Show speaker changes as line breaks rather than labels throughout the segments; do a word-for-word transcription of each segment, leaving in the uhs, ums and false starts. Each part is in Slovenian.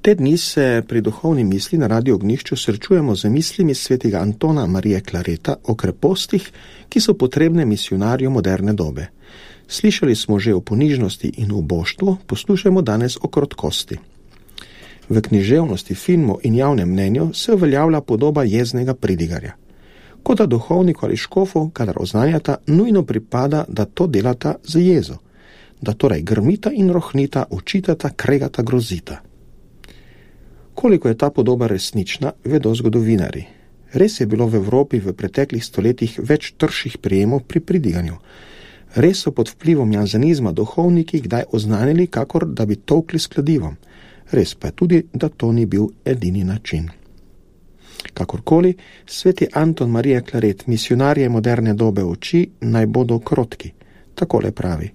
Te dni se pri duhovni misli na Radiu Ognjišču srečujemo z mislimi svetega Antona Marije Clareta o krepostih, ki so potrebne misionarju moderne dobe. Slišali smo že o ponižnosti in uboštvu, poslušajmo danes o krotkosti. V književnosti, filmu in javnem mnenju se uveljavlja podoba jeznega pridigarja. Kot da duhovniku ali škofu, kadar oznanjata, nujno pripada, da to delata z jezo, da torej grmita in rohnita, učitata, kregata, grozita. Koliko je ta podoba resnična, vedo zgodovinari. Res je bilo v Evropi v preteklih stoletjih več trših prijemov pri pridiganju. Res so pod vplivom janzenizma duhovniki kdaj oznanili, kakor da bi tolkli s kladivom. Res pa je tudi, da to ni bil edini način. Kakorkoli, sveti Anton Marije Claret misionarje moderne dobe uči, naj bodo krotki. Takole pravi: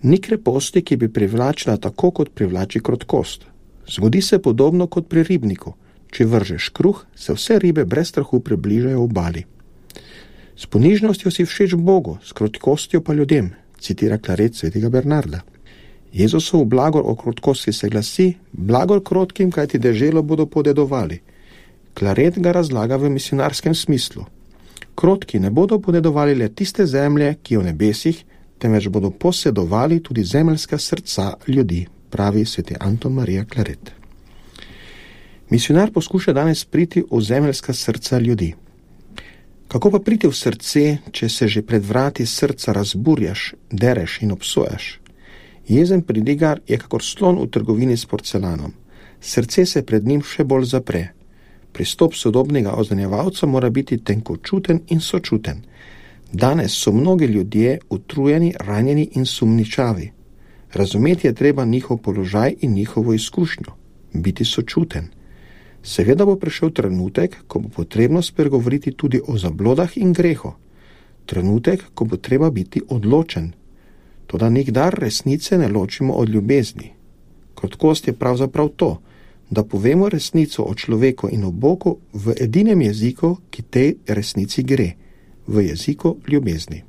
ni kreposti, ki bi privlačila tako, kot privlači krotkost. Zgodi se podobno kot pri ribniku. Če vržeš kruh, se vse ribe brez strahu približajo obali. S ponižnostjo si všeč Bogu, s krotkostjo pa ljudem, citira Claret svetega Bernarda. Jezusov blagor o krotkosti se glasi: blagor krotkim, kajti deželo bodo podedovali. Claret ga razlaga v misionarskem smislu. Krotki ne bodo podedovali le tiste zemlje, ki je v nebesih, temveč bodo posedovali tudi zemeljska srca ljudi, pravi sveti Anton Marija Claret. Misionar poskuša danes priti v zemeljska srca ljudi. Kako pa priti v srce, če se že pred vrati srca razburjaš, dereš in obsojaš? Jezen pridigar je kakor slon v trgovini s porcelanom. Srce se pred njim še bolj zapre. Pristop sodobnega oznanjevalca mora biti tenkočuten in sočuten. Danes so mnogi ljudje utrujeni, ranjeni in sumničavi. Razumeti je treba njihov položaj in njihovo izkušnjo, biti sočuten. Seveda bo prišel trenutek, ko bo potrebno spregovoriti tudi o zablodah in grehu. Trenutek, ko bo treba biti odločen. Toda nikdar resnice ne ločimo od ljubezni. Krotkost je pravzaprav to, da povemo resnico o človeku in o Bogu v edinem jeziku, ki tej resnici gre, v jeziku ljubezni.